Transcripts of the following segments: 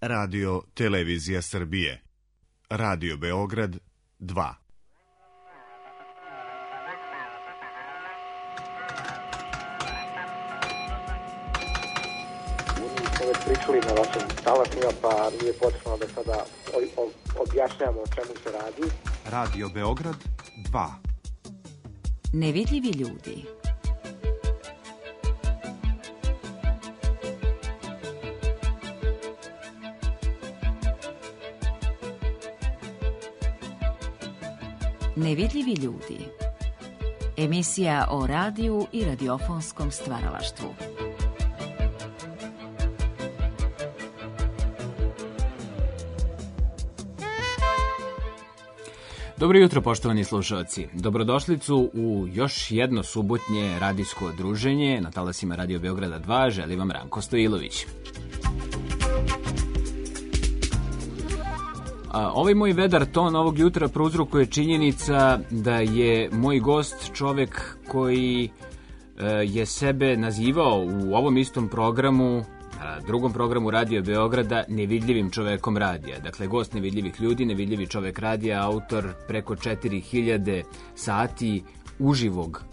Radio Televizija Srbije. Radio Beograd 2. Smo već pričali na vašim talasima, pa nije potrebno da sada objašnjamo o čemu se radi. Radio Beograd 2. Nevidljivi ljudi. Nevidljivi ljudi. Emisija o radiju i radiofonskom stvaralaštvu. Dobro jutro, poštovani slušalci. Dobrodošlicu u još jedno subotnje radijsko druženje na talasima Radio Beograda 2. Želi vam Ranko Stojilović. Ovaj moj vedar ton ovog jutra prouzrokuje činjenica da je moj gost čovek koji je sebe nazivao u ovom istom programu, drugom programu Radio Beograda, nevidljivim čovekom radija. Dakle, gost nevidljivih ljudi, nevidljivi čovek radija, autor preko 4000 sati uživog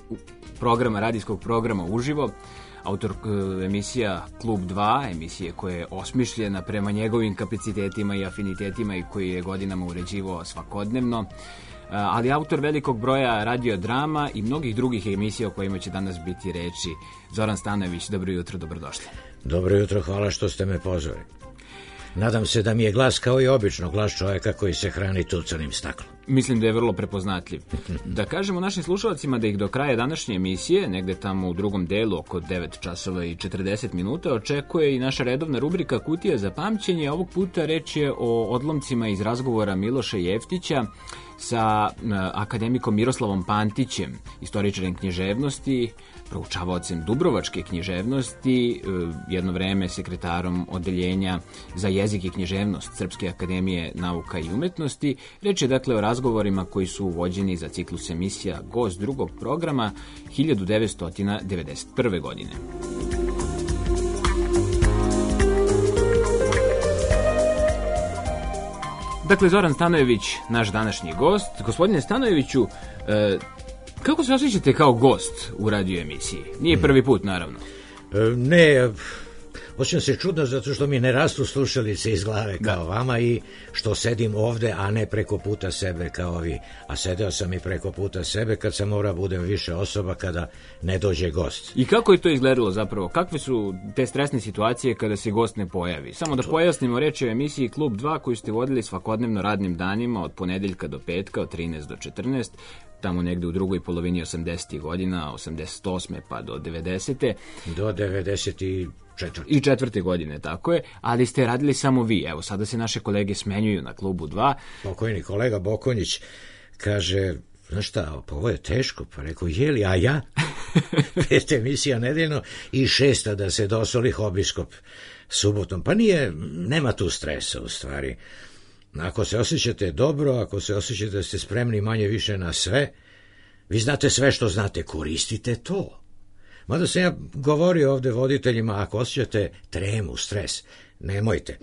programa, radijskog programa uživo, autor emisija Klub 2, emisije koja je osmišljena prema njegovim kapacitetima i afinitetima i koji je godinama uređivao svakodnevno, ali autor velikog broja radiodrama i mnogih drugih emisija o kojima će danas biti reči. Zoran Stanojević, dobro jutro, dobrodošli. Dobro jutro, hvala što ste me pozvali. Nadam se da mi je glas kao i obično glas čovjeka koji se hrani tucanim staklom. Mislim da je vrlo prepoznatljiv. Da kažemo našim slušalcima da ih do kraja današnje emisije, negde tamo u drugom delu oko 9 časova i 40 minuta, očekuje i naša redovna rubrika Kutija za pamćenje. Ovog puta reč je o odlomcima iz razgovora Miloša Jeftića sa akademikom Miroslavom Pantićem, istoričarem književnosti, proučavaocem dubrovačke književnosti, jedno vreme sekretarom odeljenja za jezik i književnost Srpske akademije nauka i umetnosti. Reč je dakle o razgovorima koji su uvođeni za ciklus emisija Gost drugog programa 1991. godine. Dakle, Zoran Stanojević, naš današnji gost. Gospodine Stanojeviću, kako se osjećate kao gost u radio emisiji? Nije prvi put, naravno. Ne, osjećam se čudno zato što mi ne rastu slušalice iz glave kao vama i što sedim ovde, a ne preko puta sebe kao vi. A sedeo sam i preko puta sebe kad sam morao budem više osoba kada ne dođe gost. I kako je to izgledalo zapravo? Kakve su te stresne situacije kada se gost ne pojavi? Samo da pojasnimo, reč je o emisiji Klub 2 koju ste vodili svakodnevno radnim danima od ponedeljka do petka, od 13 do 14, tamo negde u drugoj polovini 80. godina, 88. pa do 90. Do 94. I 4. godine, tako je, ali ste radili samo vi. Evo, sada se naše kolege smenjuju na Klubu 2. Pokojni kolega Bokonjić kaže, znaš šta, pa ovo je teško, pa rekao, jeli, a ja? 5 emisija nedeljno i 6 da se dosoli Hobiskop subotom. Pa nema tu stresa u stvari. Ako se osjećate dobro, ako se osjećate da ste spremni manje više na sve, vi znate sve što znate, koristite to. Mada sam ja govorio ovde voditeljima, ako osjećate tremu, stres, nemojte.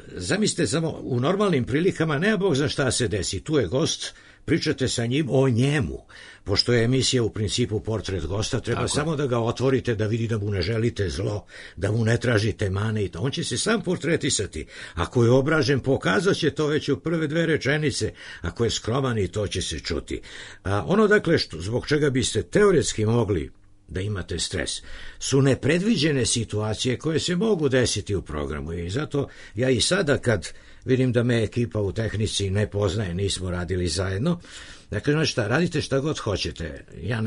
Zamislite samo, u normalnim prilikama nema Bog za šta se desi, tu je gost, pričate sa njim o njemu, pošto je emisija u principu portret gosta, treba samo da ga otvorite, da vidi da mu ne želite zlo, da mu ne tražite mane i to. On će se sam portretisati. Ako je obražen, pokazat će to već u prve 2 rečenice. Ako je skroman, i to će se čuti. Ono, dakle, zbog čega biste teoretski mogli da imate stres, su nepredviđene situacije koje se mogu desiti u programu i zato ja i sada kad vidim da me ekipa u tehnici ne poznaje, nismo radili zajedno, dakle, znači šta, radite šta god hoćete, ja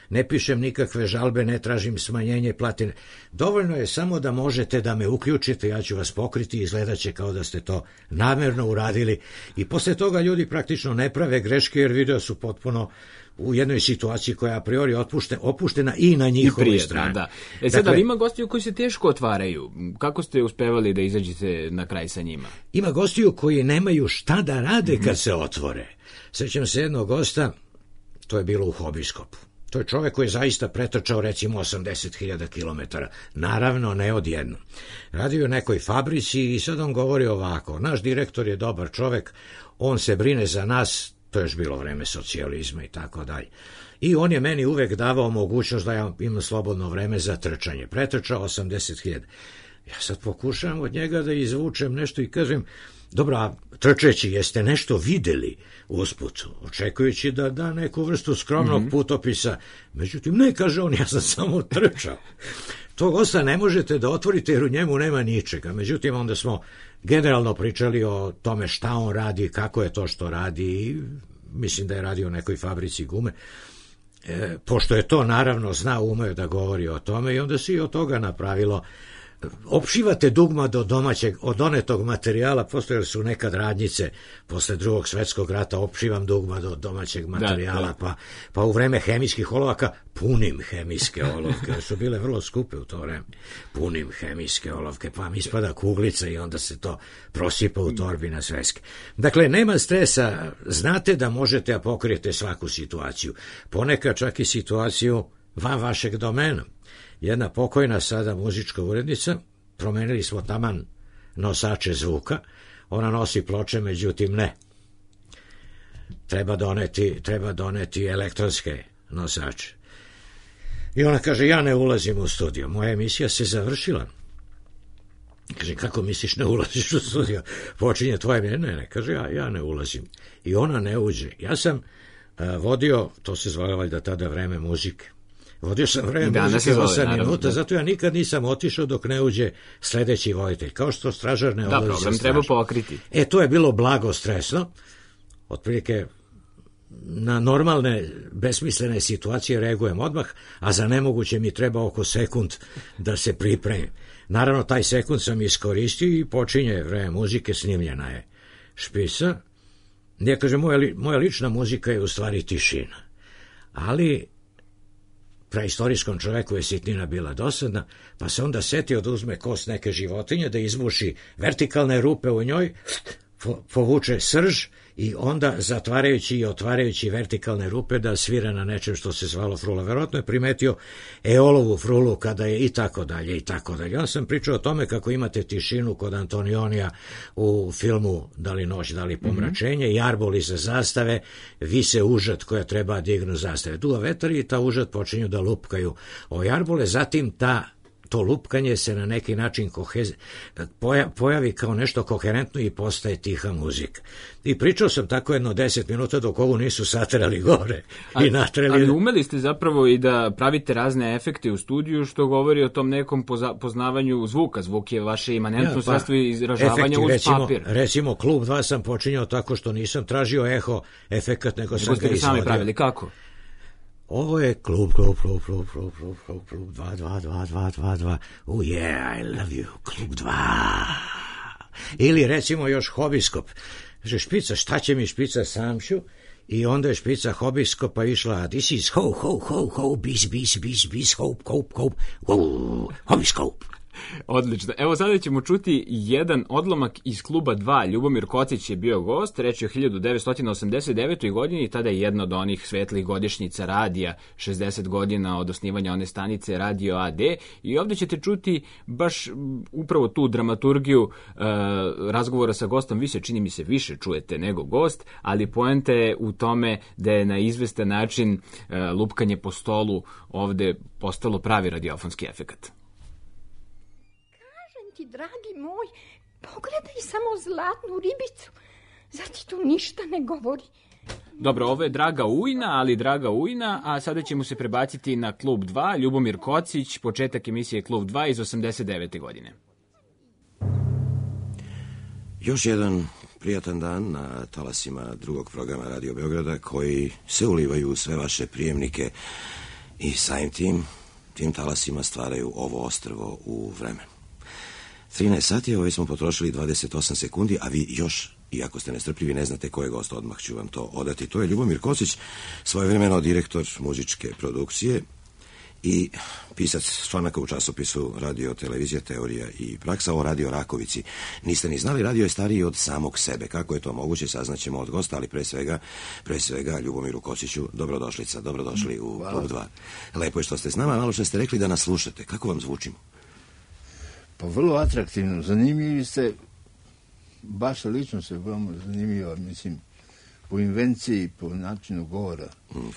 ne pišem nikakve žalbe, ne tražim smanjenje platine, dovoljno je samo da možete da me uključite, ja ću vas pokriti i izgledat će kao da ste to namjerno uradili i posle toga ljudi praktično ne prave greške jer video su potpuno u jednoj situaciji koja je a priori opuštena i na njihovoj strani. Da. Sada, ima gostiju koji se teško otvaraju. Kako ste uspevali da izađete na kraj sa njima? Ima gostiju koji nemaju šta da rade kad se otvore. Sećam se jednog gosta, to je bilo u Hobiskopu. To je čovek koji je zaista pretrčao recimo 80.000 kilometara. Naravno, ne odjednom. Radio u nekoj fabrici i sad on govori ovako. Naš direktor je dobar čovek, on se brine za nas, to je još bilo vreme socijalizma i tako dalje. I on je meni uvek davao mogućnost da ja imam slobodno vreme za trčanje. Pretrčao 80.000. Ja sad pokušavam od njega da izvučem nešto i kažem, dobro, a trčeći, jeste nešto videli usput, očekujući da da neku vrstu skromnog putopisa. Međutim, ne, kaže on, ja sam samo trčao. Tog gosta ne možete da otvorite jer u njemu nema ničega. Međutim, onda smo generalno pričali o tome šta on radi, kako je to što radi i mislim da je radio u nekoj fabrici gume. Pošto je to naravno znao, umeo da govori o tome i onda se i od toga napravilo. Opšivate dugma do domaćeg, od donetog materijala, postojali su nekad radnjice posle Drugog svetskog rata, opšivam dugma do domaćeg materijala, pa u vreme hemijskih olovaka punim hemijske olovke, su bile vrlo skupe u to vreme, punim hemijske olovke, pa mi ispada kuglica i onda se to prosipa u torbi na sveske. Dakle, nema stresa, znate da možete da pokrijete svaku situaciju, ponekad čak i situaciju van vašeg domena. Jedna pokojna sada muzička urednica, promenili smo taman nosače zvuka, ona nosi ploče, međutim ne. Treba doneti elektronske nosače. I ona kaže, ja ne ulazim u studio, moja emisija se završila. Kaže, kako misliš ne ulaziš u studio? Počinje tvoje, ne, kaže, ja ne ulazim. I ona ne uđe. Ja sam vodio, to se zvalo valjda tada vreme muzike. Vodio sam vreme muzike 8 minuta, zato ja nikad nisam otišao dok ne uđe sledeći voditelj. Kao što stražar ne odlazi za stražom. Da, treba pokriti. To je bilo blago stresno. Otprilike na normalne, besmislene situacije reagujem odmah, a za nemoguće mi treba oko sekund da se pripremim. Naravno, taj sekund sam iskoristio i počinje vreme muzike, snimljena je špica. Ja kažem, moja lična muzika je u stvari tišina. Ali praistorijskom čoveku je sitnina bila dosadna, pa se onda setio da uzme kost neke životinje, da izbuši vertikalne rupe u njoj, povuče srž i onda zatvarajući i otvarajući vertikalne rupe da svira na nečem što se zvalo frula. Verovatno je primetio Eolovu frulu kada je i tako dalje i tako dalje. Ja sam pričao o tome kako imate tišinu kod Antonionija u filmu Da li noć, da li pomračenje, i arboli za zastave, vise užad koja treba dignu zastave. Duva vetar i ta užad počinju da lupkaju o arbole, zatim to lupkanje se na neki način pojavi kao nešto koherentno i postaje tiha muzika. I pričao sam tako jedno 10 minuta dok ovu nisu saterali gore i natreli. Ali umeli ste zapravo i da pravite razne efekte u studiju, što govori o tom nekom poznavanju zvuka. Zvuk je vaše imanentno sredstvo izražavanja uz papir. Recimo, Klub 2 sam počinjao tako što nisam tražio eho efekat, nego sam ga izvodio. Sami pravili, kako? Ovo je klub 2. Oh yeah, I love you, klub 2. Ili recimo još hobiskop. Kaže, špica, šta će mi špica, sam ću. I onda je špica hobiskopa išla, this is ho, bis, hope, hobiskop. Odlično. Evo sada ćemo čuti jedan odlomak iz Kluba 2. Ljubomir Kocić je bio gost, reč je o 1989. godini i tada je jedna od onih svetlih godišnjica radija, 60 godina od osnivanja one stanice Radio AD, i ovdje ćete čuti baš upravo tu dramaturgiju razgovora sa gostom. Vi se, čini mi se, više čujete nego gost, ali poenta je u tome da je na izvestan način lupkanje po stolu ovdje postalo pravi radiofonski efekat. Dragi moj, pogledaj samo zlatnu ribicu. Zar ti tu ništa ne govori? Dobro, ovo je Draga Ujna, a sada ćemo se prebaciti na Klub 2, Ljubomir Kocić, početak emisije Klub 2 iz 89. godine. Još jedan prijatan dan na talasima drugog programa Radio Beograda, koji se ulivaju u sve vaše prijemnike i samim tim talasima stvaraju ovo ostrvo u vremenu. 13 sati, ovaj smo potrošili 28 sekundi, a vi još, iako ste nestrpljivi, ne znate ko je gost, odmah ću vam to odati. To je Ljubomir Kocić, svojevremeno direktor muzičke produkcije i pisac članaka u časopisu Radio televizija, teorija i praksa o Radio Rakovici. Niste ni znali, radio je stariji od samog sebe. Kako je to moguće, saznaćemo od gosta, ali pre svega Ljubomiru Kosiću, dobrodošli u Klub 2. Lepo je što ste s nama, malo što ste rekli da nas slušate. Kako vam zvučimo? Pa vrlo atraktivno, zanimljivi ste, baš lično se vrlo zanimljivo, mislim, po invenciji, po načinu govora.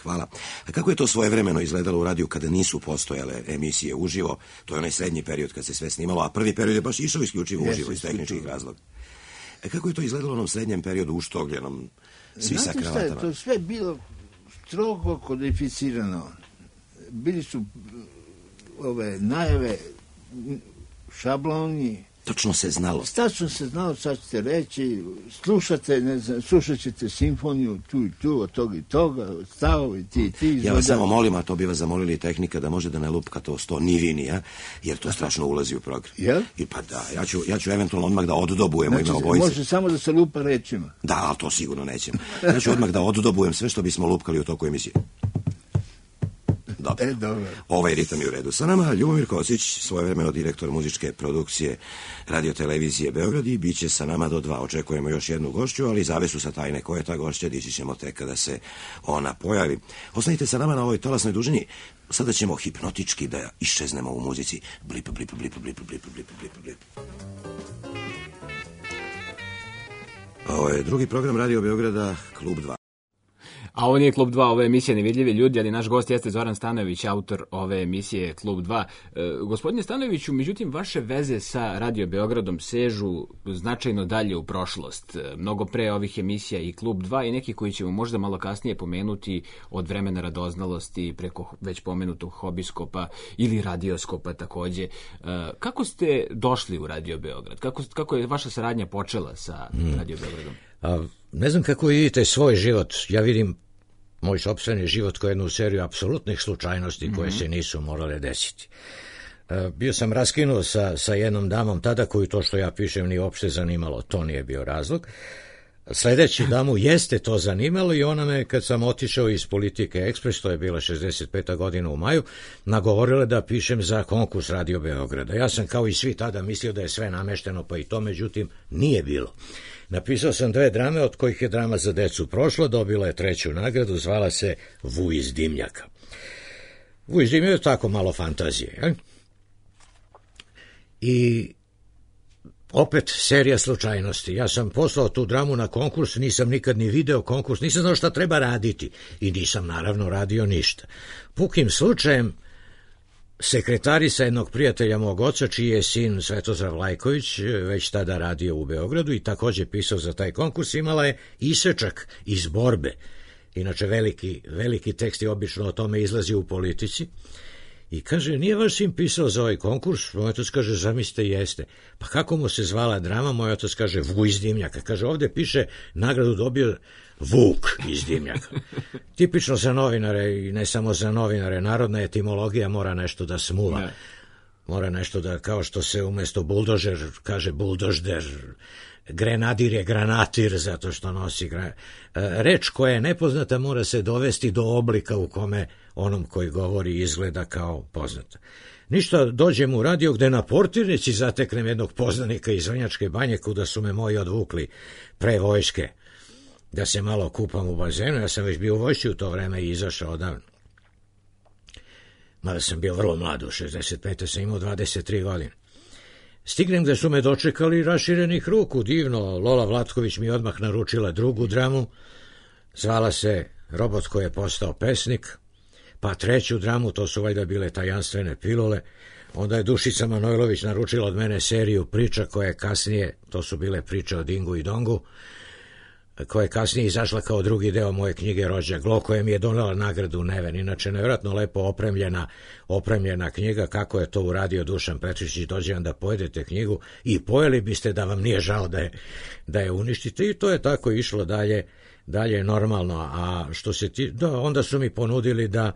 Hvala. A kako je to svojevremeno izgledalo u radiju kada nisu postojale emisije uživo? To je onaj srednji period kad se sve snimalo, a prvi period je baš išao isključivo uživo iz tehničkih razloga. Kako je to izgledalo u onom srednjem periodu uštogljenom, svi sa kravatama? Znate šta je, to sve bilo strogo kodificirano. Bili su ove najave, šabloni. Tačno se znalo. Tačno se znalo, sad ćete reći, slušate, ne znam, slušat ćete simfoniju tu i tu, od toga i toga, stavovi ti. Ja vas samo molim, a to bi vas zamolili tehnika, da može da ne lupka to 100 nivinija, jer to strašno ulazi u program. Jel? I pa da, ja ću eventualno odmah da oddobujemo ime obojice. Može samo da se lupa rečima. Da, ali to sigurno nećemo. Ja ću odmah da oddobujem sve što bismo lupkali u toku emisije. Dobro. Ovaj ritam je u redu. Sa nama Ljubomir Kosić, svojevremeno direktor muzičke produkcije Radio televizije Beograd, i bit će sa nama do 2. Očekujemo još jednu gošću, ali zavesu sa tajne ko je ta gošća dići ćemo tek kada se ona pojavi. Ostanite sa nama na ovoj talasnoj dužini. Sada ćemo hipnotički da iščeznemo u muzici. Blip, blip, blip, blip, blip, blip, blip, blip. Ovo je drugi program Radio Beograda, Klub 2. A ovo nije Klub 2, ovo je emisija Nevidljivi ljudi, ali naš gost jeste Zoran Stanojević, autor ove emisije Klub 2. Gospodine Stanojeviću, međutim, vaše veze sa Radio Beogradom sežu značajno dalje u prošlost. Mnogo pre ovih emisija i Klub 2 i neki koji ćemo možda malo kasnije pomenuti od vremena radoznalosti preko već pomenutog hobiskopa ili radioskopa takođe. Kako ste došli u Radio Beograd? Kako je vaša saradnja počela sa Radio Beogradom? Ne znam kako vidite svoj život. Ja vidim moj sopstveni život kao jednu seriju apsolutnih slučajnosti koje se nisu morale desiti. Bio sam raskinuo sa jednom damom tada koju to što ja pišem nije uopšte zanimalo. To nije bio razlog. Sledeći damu jeste to zanimalo i ona me, kad sam otišao iz Politike Ekspres, to je bila 65. godina u maju, nagovorila da pišem za konkurs Radio Beograda. Ja sam kao i svi tada mislio da je sve namešteno, pa i to, međutim, nije bilo. Napisao sam 2 drame, od kojih je drama za decu prošla, dobila je 3. nagradu, zvala se Vuj iz dimnjaka. Vuj iz dimnjaka je tako malo fantazije. Je? I opet serija slučajnosti. Ja sam poslao tu dramu na konkurs, nisam nikad ni video konkurs, nisam znao šta treba raditi i nisam naravno radio ništa. Pukim slučajem sekretarica jednog prijatelja mog oca, čiji je sin Svetozar Vlajković već tada radio u Beogradu i takođe pisao za taj konkurs, imala je isečak iz Borbe. Inače veliki tekst je obično o tome izlazi u Politici. I kaže, nije vaš sin pisao za ovaj konkurs? Moj otac kaže, zamislite, jeste. Pa kako mu se zvala drama? Moj otac kaže, Vuj iz dimnjaka. Kaže, ovde piše, nagradu dobio Vuk iz dimnjaka. Tipično za novinare i ne samo za novinare. Narodna etimologija mora nešto da smula. Ne. Mora nešto da, kao što se umesto buldožer kaže buldožder, grenadir je granatir zato što nosi reč koja je nepoznata mora se dovesti do oblika u kome onom koji govori izgleda kao poznata. Ništa, dođem u radio gde na portirnici zateknem jednog poznanika iz Vrnjačke Banje kuda su me moji odvukli pre vojske da se malo kupam u bazenu. Ja sam već bio u vojsci u to vreme i izašao odavno. Mada sam bio vrlo mlad, u 65. sam imao 23 godine. Stignem gde su me dočekali raširenih ruku, divno. Lola Vlatković mi odmah naručila drugu dramu, zvala se Robot koji je postao pesnik, pa 3. dramu, to su valjda bile tajanstvene pilule. Onda je Dušica Manojlović naručila od mene seriju priča koje kasnije, to su bile priče o Dingu i Dongu, koja je kasnije izašla kao drugi deo moje knjige Rođak Glo, koja mi je donela nagradu Neven. Inače, nevjerojatno lepo opremljena knjiga, kako je to uradio Dušan Petričić. Dođe vam da pojedete knjigu i pojeli biste da vam nije žao da je uništite. I to je tako išlo dalje normalno. A što se onda su mi ponudili da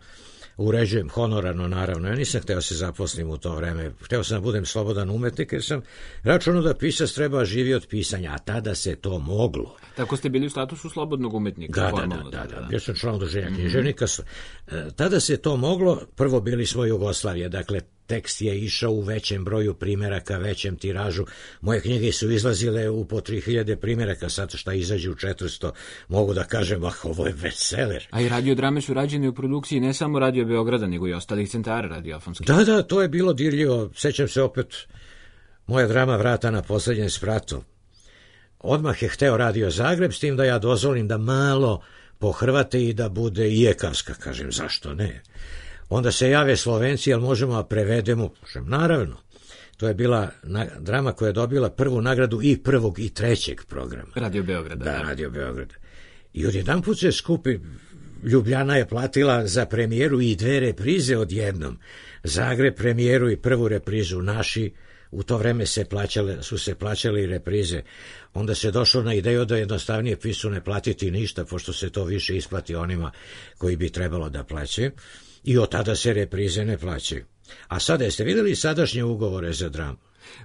uređujem honorarno, naravno. Ja nisam hteo se zaposlim u to vreme. Hteo sam da budem slobodan umetnik, jer sam računao da pisac treba živi od pisanja, a tada se to moglo. Tako ste bili u statusu slobodnog umetnika? Da. Bio sam član udruženja književnika. Tada se to moglo, prvo bili smo Jugoslavije, dakle, tekst je išao u većem broju primeraka, većem tiražu. Moje knjige su izlazile u po 3000 primeraka, sad šta izađe u 400, mogu da kažem, ovo je bestseller. A i radiodrame su rađene u produkciji ne samo Radio Beograda, nego i ostalih centara radiofonskih. Da, to je bilo dirljivo. Sećam se opet moja drama Vrata na poslednjem spratu. Odmah je hteo Radio Zagreb, s tim da ja dozvolim da malo pohrvate i da bude i ekavska, kažem, zašto ne? Onda se jave Slovenci, jel možemo da prevedemo? Naravno, to je bila drama koja je dobila prvu nagradu i prvog i trećeg programa. Radio Beograda. Da, Radio Beograda. I odjedanput se skupi, Ljubljana je platila za premijeru i 2 reprize odjednom. Zagreb premijeru i prvu reprizu, naši u to vreme su se plaćale i reprize. Onda se došlo na ideju da jednostavnije pisu ne platiti ništa, pošto se to više isplati onima koji bi trebalo da plaćaju. I od tada se reprize ne plaćaju. A sada, jeste videli sadašnje ugovore za dramu?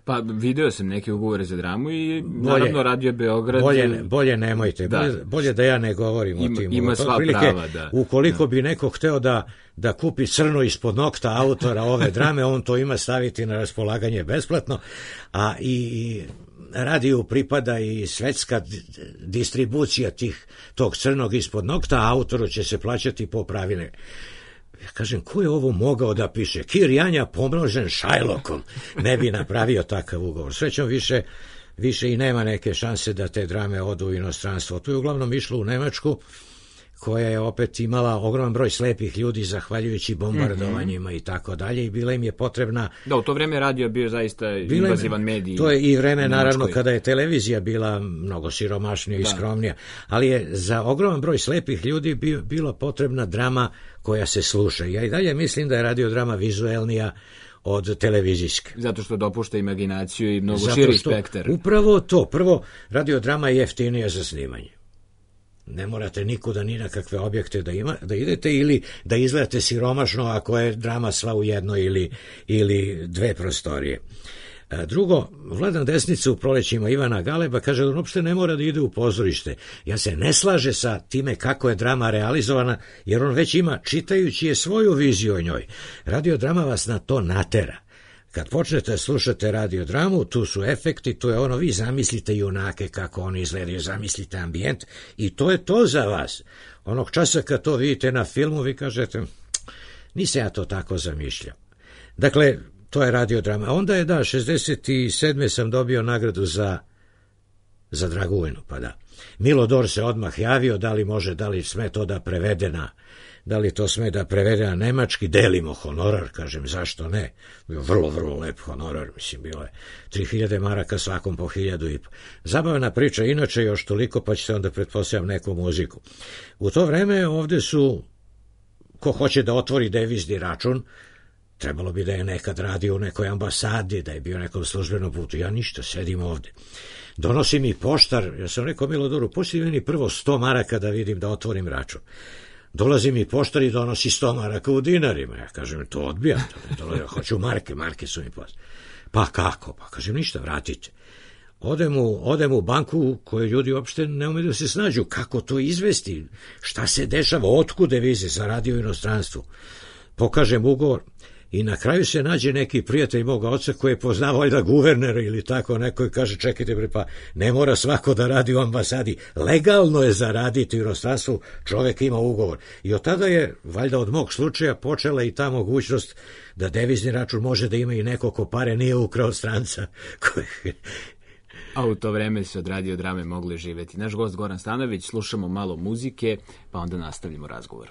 Pa video sam neke ugovore za dramu i naravno Radio Beograd... Bolje nemojte, bolje da ja ne govorim o tim. Ima sva prava, da. Ukoliko bi neko hteo da kupi crno ispod nokta autora ove drame, on to ima staviti na raspolaganje besplatno, a i radiju pripada i svetska distribucija tog crnog ispod nokta, a autoru će se plaćati po pravilne. Ja kažem, ko je ovo mogao da piše? Kir Janja pomnožen Šajlokom ne bi napravio takav ugovor. Srećom više i nema neke šanse da te drame odu u inostranstvo. To je uglavnom išlo u Nemačku, koja je opet imala ogroman broj slepih ljudi zahvaljujući bombardovanjima i tako dalje, i bila im je potrebna... Da, u to vreme radio bio zaista invazivan medij. To je i vreme, naravno, kada je televizija bila mnogo siromašnija i skromnija, ali je za ogroman broj slepih ljudi bila potrebna drama koja se sluša. Ja i dalje mislim da je radiodrama vizuelnija od televizijske. Zato što dopušta imaginaciju i mnogo širi spektar. Upravo to. Prvo, radiodrama je jeftinija za snimanje. Ne morate nikuda ni na kakve objekte da idete ili da izgledate siromašno ako je drama sva u jednoj ili 2 prostorije. Drugo, Vladan Desnica u Prolećima Ivana Galeba kaže da on uopšte ne mora da ide u pozorište. Ja se ne slaže sa time kako je drama realizovana, jer on već ima, čitajući je, svoju viziju o njoj. Radiodrama vas na to natera. Kad počnete slušate radiodramu, tu su efekti, tu je ono, vi zamislite junake kako oni izgledaju, zamislite ambijent i to je to za vas. Onog časa kad to vidite na filmu, vi kažete, nisam ja to tako zamišljao. Dakle, to je radiodrama. A onda je, 67. sam dobio nagradu za Dragujinu, pa da. Milodor se odmah javio, da li sme to da prevede na nemački, delimo honorar, kažem, zašto ne? Vrlo, vrlo lep honorar, mislim, bilo je 3000 maraka svakom po 1000 i po. Zabavna priča, inače još toliko, pa ćete onda pretpostavljam neku muziku. U to vreme ovde su, ko hoće da otvori devizni račun, trebalo bi da je nekad radio u nekoj ambasadi, da je bio nekom službenom putu. Ja ništa, sedim ovde. Donosi mi poštar, ja sam rekao Milodoru, pusti meni prvo 100 maraka da vidim da otvorim račun. Dolazi mi poštar i donosi 100 maraka u dinarima. Ja kažem, to odbijam. Hoću marke su mi poslali. Pa kako? Pa kažem, ništa, vratite. Odem u banku u kojoj ljudi uopšte ne umeju da se snađu. Kako to izvesti? Šta se dešava? Otkud devize za radio u inostranstvu? Pokažem ugovor i na kraju se nađe neki prijatelj moga oca koji je poznao valjda guvernera ili tako neko i kaže, čekajte bre, pa ne mora svako da radi u ambasadi. Legalno je zaraditi u inostranstvu, čovek ima ugovor. I od tada je, valjda od mog slučaja, počela i ta mogućnost da devizni račun može da ima i neko ko pare nije ukrao stranca. A u to vreme se od radiodrame mogle živeti. Naš gost Goran Stanojević, slušamo malo muzike, pa onda nastavljamo razgovor.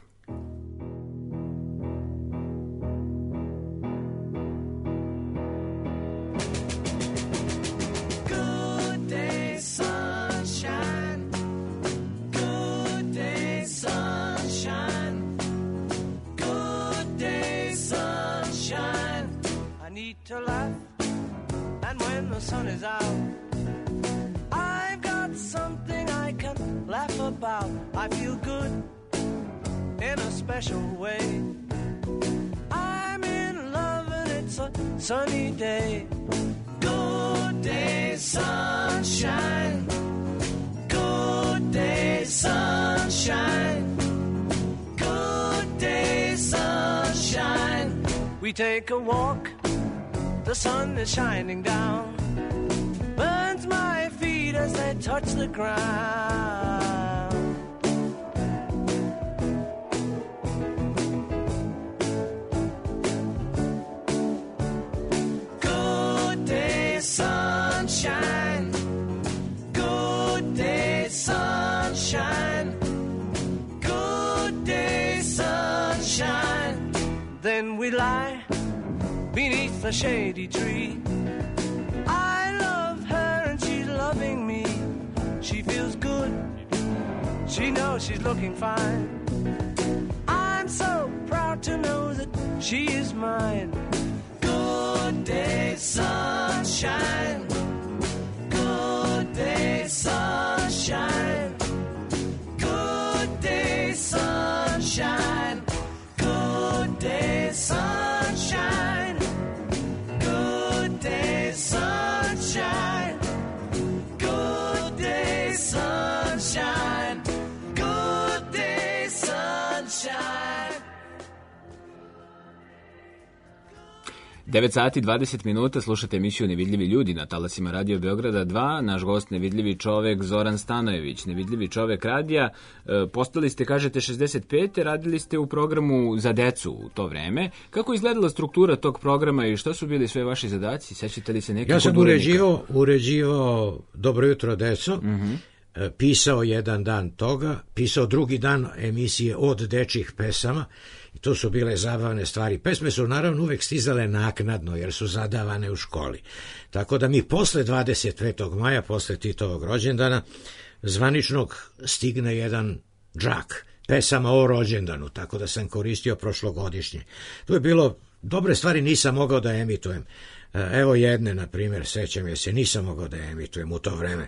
To laugh, and when the sun is out, I've got something I can laugh about. I feel good in a special way. I'm in love and it's a sunny day. Good day, sunshine. Good day, sunshine. Good day, sunshine. We take a walk, the sun is shining down. Burns my feet as they touch the ground. Good day, sunshine. Good day, sunshine. Good day, sunshine. Then we lie beneath the shady tree. I love her and she's loving me. She feels good. She knows she's looking fine. I'm so proud to know that she is mine. Good day, sunshine. Good day, sunshine. Good day, sunshine. Good day, sunshine. Good day, sunshine. Good day, sunshine. Good day, sunshine. 9 sati 20 minuta, slušate emisiju Nevidljivi ljudi na talasima Radio Beograda 2. Naš gost, nevidljivi čovek Zoran Stanojević, nevidljivi čovek radija. Postali ste, kažete, 65. Radili ste u programu za decu u to vreme. Kako izgledala struktura tog programa i što su bili sve vaši zadaci? Sećate li se nekih? Ja sam uređivao Dobro jutro, deco. Pisao jedan dan toga, pisao drugi dan emisije od dečjih pesama. I to su bile zabavne stvari. Pesme su naravno uvek stizale naknadno, jer su zadavane u školi. Tako da mi posle 25. maja, posle Titovog rođendana, zvaničnog stigne jedan džak pesama o rođendanu, tako da sam koristio prošlogodišnje. Tu je bilo, dobre stvari nisam mogao da emitujem. Evo jedne, na primjer, sećam je se, nisam mogao da emitujem u to vreme.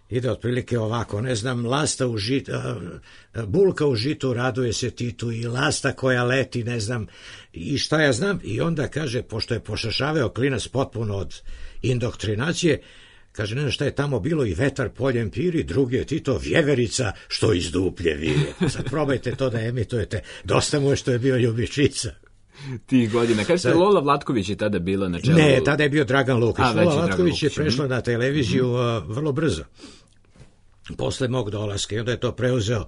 Ide otprilike ovako, ne znam, bulka u žitu raduje se Titu i lasta koja leti, ne znam, i šta ja znam. I onda kaže, pošto je pošašaveo klinac potpuno od indoktrinacije, kaže, ne znam šta je tamo bilo, i vetar poljem piri, drugi je Tito vjeverica što iz duplje vije. Sad probajte to da emitujete, dosta mu je što je bio Ljubičica. Tih godina. Kaže se, Lola Vlatković je tada bila na čelu. Ne, tada je bio Dragan Lukić. Lola Vlatković je prešla na televiziju vrlo brzo. Posle mog dolaska. I onda je to preuzeo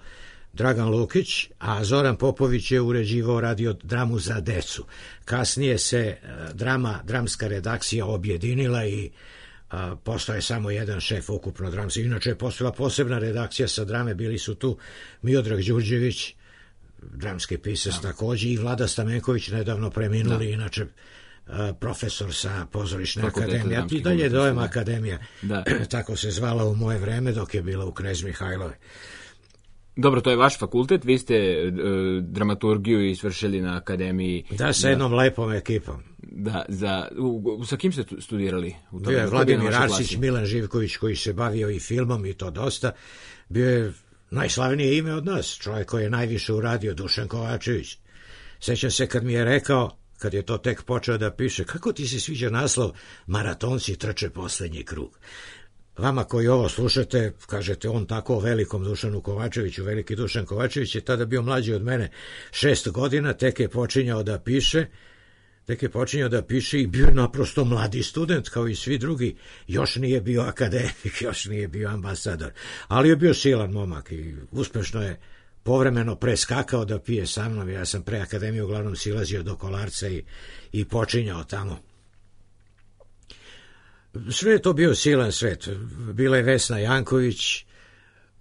Dragan Lukić, a Zoran Popović je uređivao radio dramu za decu. Kasnije se dramska redakcija objedinila i postao je samo jedan šef ukupno dramski. Inače je postojala posebna redakcija sa drame, bili su tu Miodrag Đurđević, dramski pisac takođe, i Vlada Stamenković, nedavno preminuli, inače profesor sa pozorišne akademije. I dalje Dojem akademija, tako se zvala u moje vreme dok je bila u Knez Mihajlove. Dobro, to je vaš fakultet, vi ste dramaturgiju isvršili na akademiji. Da, sa jednom lepom ekipom. Da, sa kim ste studirali? Bio je Vladimir Arsić, Milan Živković, koji se bavio i filmom i to dosta. Bio je najslavnije ime od nas, čovjek koji je najviše uradio, Dušan Kovačević. Sećam se kad mi je rekao, kad je to tek počeo da piše, kako ti se sviđa naslov Maratonci trče poslednji krug. Vama koji ovo slušate, kažete on tako o velikom Dušanu Kovačeviću, veliki Dušan Kovačević je tada bio mlađi od mene 6 godina, tek je počinjao da piše i bio naprosto mladi student kao i svi drugi, još nije bio akademik, još nije bio ambasador, ali je bio silan momak i uspešno je povremeno preskakao da pije sa mnom. Ja sam pre akademije uglavnom silazio do Kolarca i počinjao tamo. Sve je to bio silan svet. Bila je Vesna Janković,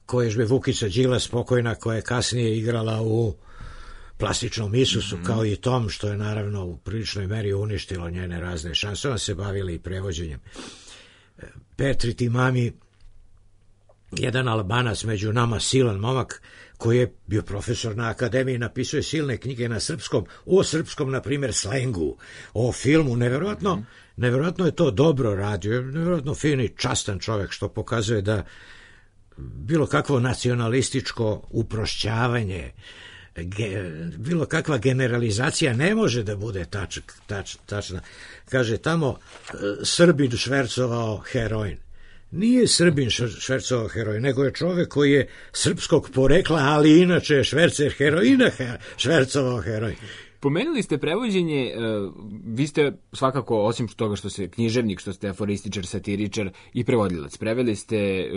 koja je Vukica Đilas pokojna, koja je kasnije igrala u Plastičnom Isusu, kao i Tom, što je naravno u priličnoj meri uništilo njene razne šanse. Ona se bavila i prevođenjem. Petri Timami, jedan Albanac među nama, silan momak, koji je bio profesor na akademiji, napisao je silne knjige na srpskom, o srpskom, na primjer, slengu, o filmu, neverovatno je to dobro radio, neverovatno fin i častan čovjek, što pokazuje da bilo kakvo nacionalističko uprošćavanje bilo kakva generalizacija ne može da bude tačna. Kaže tamo Srbin švercovao heroin. Nije Srbin švercovao heroin, nego je čovek koji je srpskog porekla, ali inače je švercer heroina švercovao heroin. Pomenuli ste prevođenje, vi ste svakako, osim toga što ste književnik, što ste aforističar, satiričar i prevodilac. Preveli ste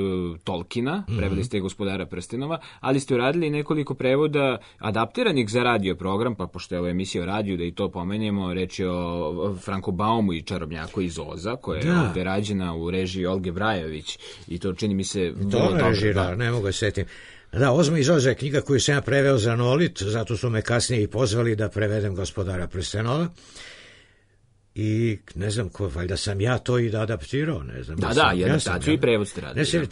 Tolkiena, preveli ste Gospodara prstenova, ali ste uradili nekoliko prevoda adaptiranih za radio program, pa pošto je ovo emisija o radiju, da i to pomenemo, reč je o Franku Baumu i Čarobnjaku iz Oza, koja je ovde rađena u režiji Olge Brajović, i to čini mi se... To ne režira, ne mogu setim. Da, Ozma iz Oza je knjiga koju sam ja preveo za Nolit, zato su me kasnije i pozvali da prevedem Gospodara prstenova. I ne znam ko, valjda sam ja to i da adaptirao, ne znam. Da, i adaptaciju i prevod ste radili.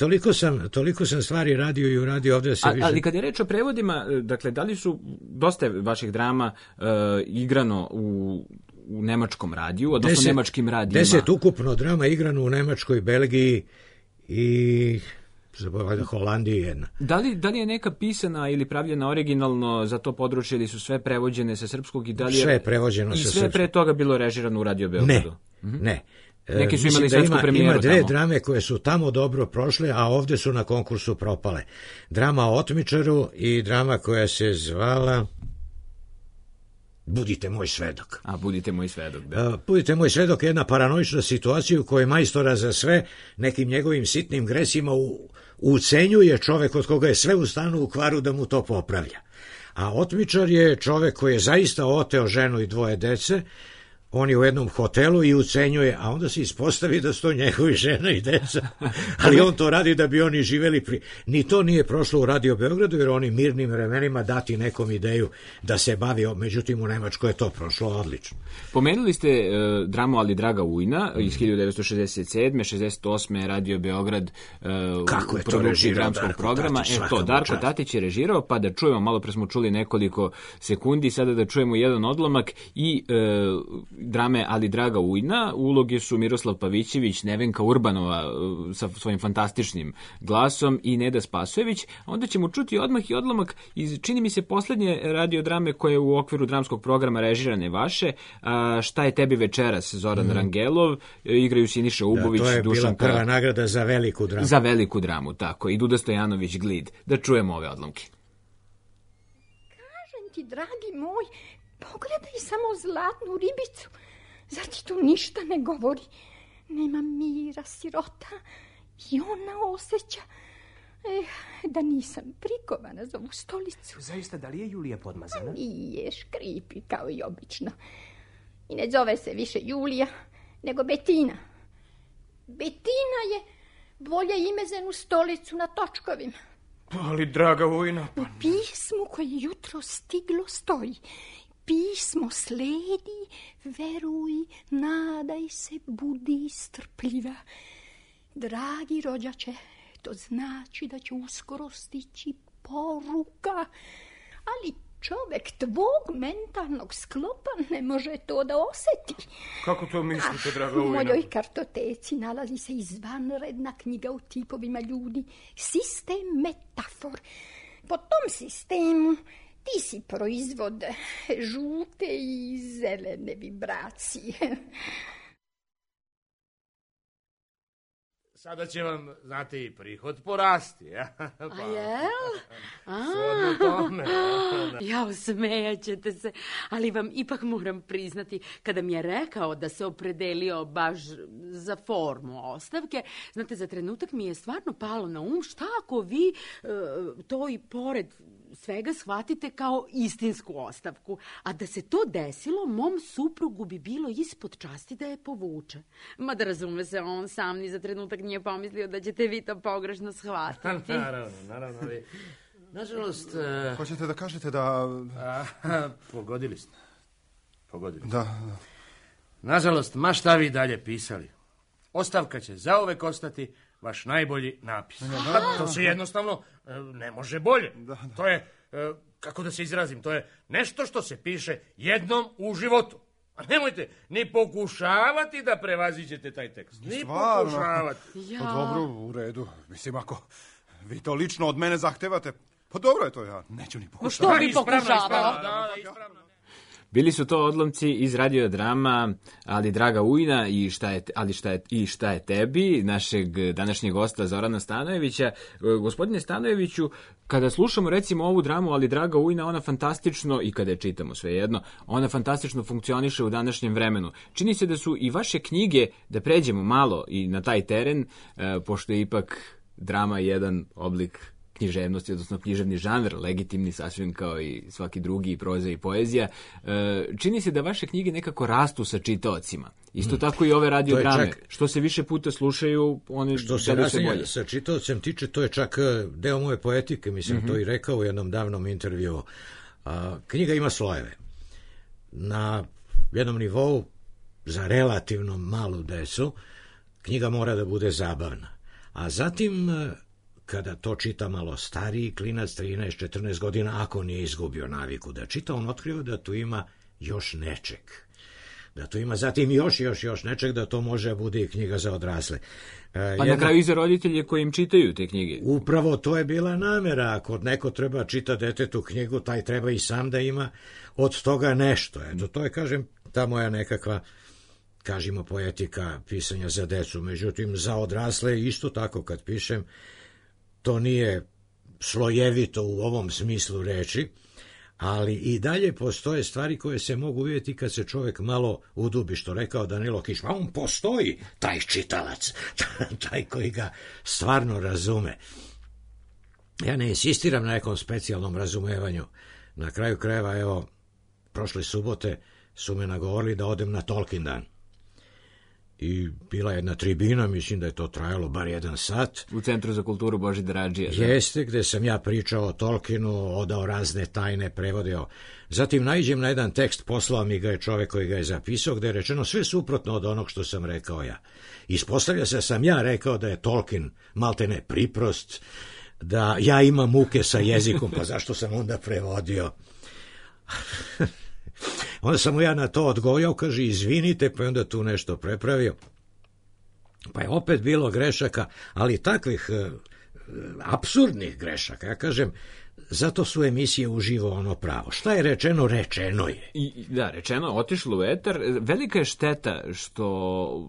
Toliko sam stvari radio i uradio ovde da se više... Ali kad je reč o prevodima, dakle, da li su dosta vaših drama igrano u nemačkom radiju, odnosno nemačkim radijima? 10 ukupno drama igrano u Nemačkoj, Belgiji i... Holandiji jedna. Da li je neka pisana ili pravljena originalno za to područje, ili su sve prevođene sa srpskog i da li je... Sve je prevođeno sa srpskog. I sve pre toga bilo režirano u Radio Beogradu? Ne. Neki su imali svetsku premijeru tamo. Ima dve drame koje su tamo dobro prošle, a ovde su na konkursu propale. Drama o otmičaru i drama koja se zvala... Budite moj svedok. Budite moj svedok, da. Budite moj svedok je jedna paranoična situacija u kojoj majstora za sve nekim njegovim sitnim gresima ucenjuje čovek od koga je sve u stanu u kvaru da mu to popravlja. A otmičar je čovek koji je zaista oteo ženu i 2 dece, on je u jednom hotelu i ucenjuje, a onda se ispostavi da su to njegovi žena i deca. Ali on to radi da bi oni živeli Ni to nije prošlo u Radio Beogradu, jer oni mirnim vremenima dati nekom ideju da se bavi, međutim u Nemačkoj je to prošlo odlično. Pomenuli ste dramu Ali Draga Ujna iz 1967. 68. Radio Beograd u produkciji dramskog programa. Darko Tatić je režirao, pa da čujemo, malo pre smo čuli nekoliko sekundi, sada da čujemo jedan odlomak i drame Ali Draga Ujna. Uloge su Miroslav Pavićević, Nevenka Urbanova sa svojim fantastičnim glasom i Neda Spasojević. Onda ćemo čuti odmah i odlomak iz, čini mi se, poslednje radiodrame koje u okviru dramskog programa režirane vaše. Šta je tebi večeras, Zoran Rangelov, igraju Siniša Ubović, to je Dušanka... bila prva nagrada za veliku dramu. Za veliku dramu, tako. I Duda Stojanović Glid. Da čujemo ove odlomke. Kažem ti, dragi moj, pogledaj samo zlatnu ribicu. Zar ti to ništa ne govori? Nema mira, sirota. I ona osjeća... da nisam prikovana za ovu stolicu. Zaista, da li je Julija podmazana? Nije, škripi kao i obično. I ne zove se više Julija, nego Betina. Betina je bolje ime za jednu stolicu na točkovima. Ali, draga Ujna... U pismu koje jutro stiglo stoji. Pismo sledi, veruj, nadaj se, budi strpljiva. Dragi rođače, to znači da će uskoro stići poruka, ali čovek tvog mentalnog sklopa ne može to da oseti. Kako to mislite, draga Ujna? U mojoj kartoteci nalazi se izvanredna knjiga o tipovima ljudi, sistem metafor. Po tom sistemu ti si proizvod žute i zelene vibracije. Sada će vam, znate, i prihod porasti. A jel? Svodno tome. Jao, smejaćete se, ali vam ipak moram priznati, kada mi je rekao da se opredelio baš za formu ostavke, znate, za trenutak mi je stvarno palo na šta ako vi to i pored svega shvatite kao istinsku ostavku, a da se to desilo, mom suprugu bi bilo ispod časti da je povuče. Mada razume se, on sam ni za trenutak nije pomislio da ćete vi to pogrešno shvatiti. Naravno, ali... Nažalost... Hoćete da kažete da... Pogodili ste. Da. Nažalost, ma šta vi dalje pisali. Ostavka će zauvek ostati vaš najbolji napis. To se jednostavno ne može bolje. To je, kako da se izrazim, to je nešto što se piše jednom u životu. A nemojte ni pokušavati da prevaziđete taj tekst. Ni pokušavati. Pa dobro, u redu. Mislim, ako vi to lično od mene zahtevate, Pa dobro je to, ja neću ni pokušati. Što bi pokušavao? Bili su to odlomci iz radiodrama Ali draga ujna i šta je tebi, našeg današnjeg gosta Zorana Stanojevića. Gospodine Stanojeviću, kada slušamo recimo ovu dramu Ali draga ujna, ona fantastično, i kada je čitamo svejedno, ona fantastično funkcioniše u današnjem vremenu. Čini se da su i vaše knjige, da pređemo malo i na taj teren, pošto je ipak drama jedan oblik književnosti, odnosno književni žanr, legitimni sasvim kao i svaki drugi, proza i poezija. Čini se da vaše knjige nekako rastu sa čitaocima. Isto tako i ove radiodrame. Što se više puta slušaju, one što se rasenja sa čitaocem tiče, to je čak deo moje poetike, mislim, to i rekao u jednom davnom intervju. Knjiga ima slojeve. Na jednom nivou, za relativno malu decu, knjiga mora da bude zabavna. A zatim, kada to čita malo stariji klinac, 13-14 godina, ako nije izgubio naviku da čita, on otkriva da tu ima još nečeg. Da tu ima zatim još nečeg, da to može bude i knjiga za odrasle. Pa na kraju i za roditelje koji im čitaju te knjige. Upravo to je bila namera. Ako neko treba čita detetu knjigu, taj treba i sam da ima od toga nešto. Eto, to je, kažem, ta moja nekakva, kažemo, poetika pisanja za decu. Međutim, za odrasle isto tako kad pišem, to nije slojevito u ovom smislu reči, ali i dalje postoje stvari koje se mogu vidjeti kad se čovjek malo udubi, što rekao Danilo Kiš, a on postoji, taj čitalac, taj koji ga stvarno razume. Ja ne insistiram na nekom specijalnom razumevanju. Na kraju krajeva, evo, prošle subote su me nagovorili da odem na Tolkien dan. I bila jedna tribina, mislim da je to trajalo bar 1 sat. U Centru za kulturu Božidar Adžija. Jeste, gde sam ja pričao o Tolkienu, odao razne tajne, prevodio. Zatim naiđem na jedan tekst, poslao mi ga je čovek koji ga je zapisao, gde je rečeno sve suprotno od onog što sam rekao ja. Ispostavlja se da sam ja rekao da je Tolkien maltene priprost, da ja imam muke sa jezikom, pa zašto sam onda prevodio? Onda sam mu ja na to odgovorio, kaže, izvinite, pa je onda tu nešto prepravio. Pa je opet bilo grešaka, ali takvih apsurdnih grešaka. Ja kažem, zato su emisije uživo ono pravo. Šta je rečeno, rečeno je. Da, rečeno, otišlo u etar. Velika je šteta što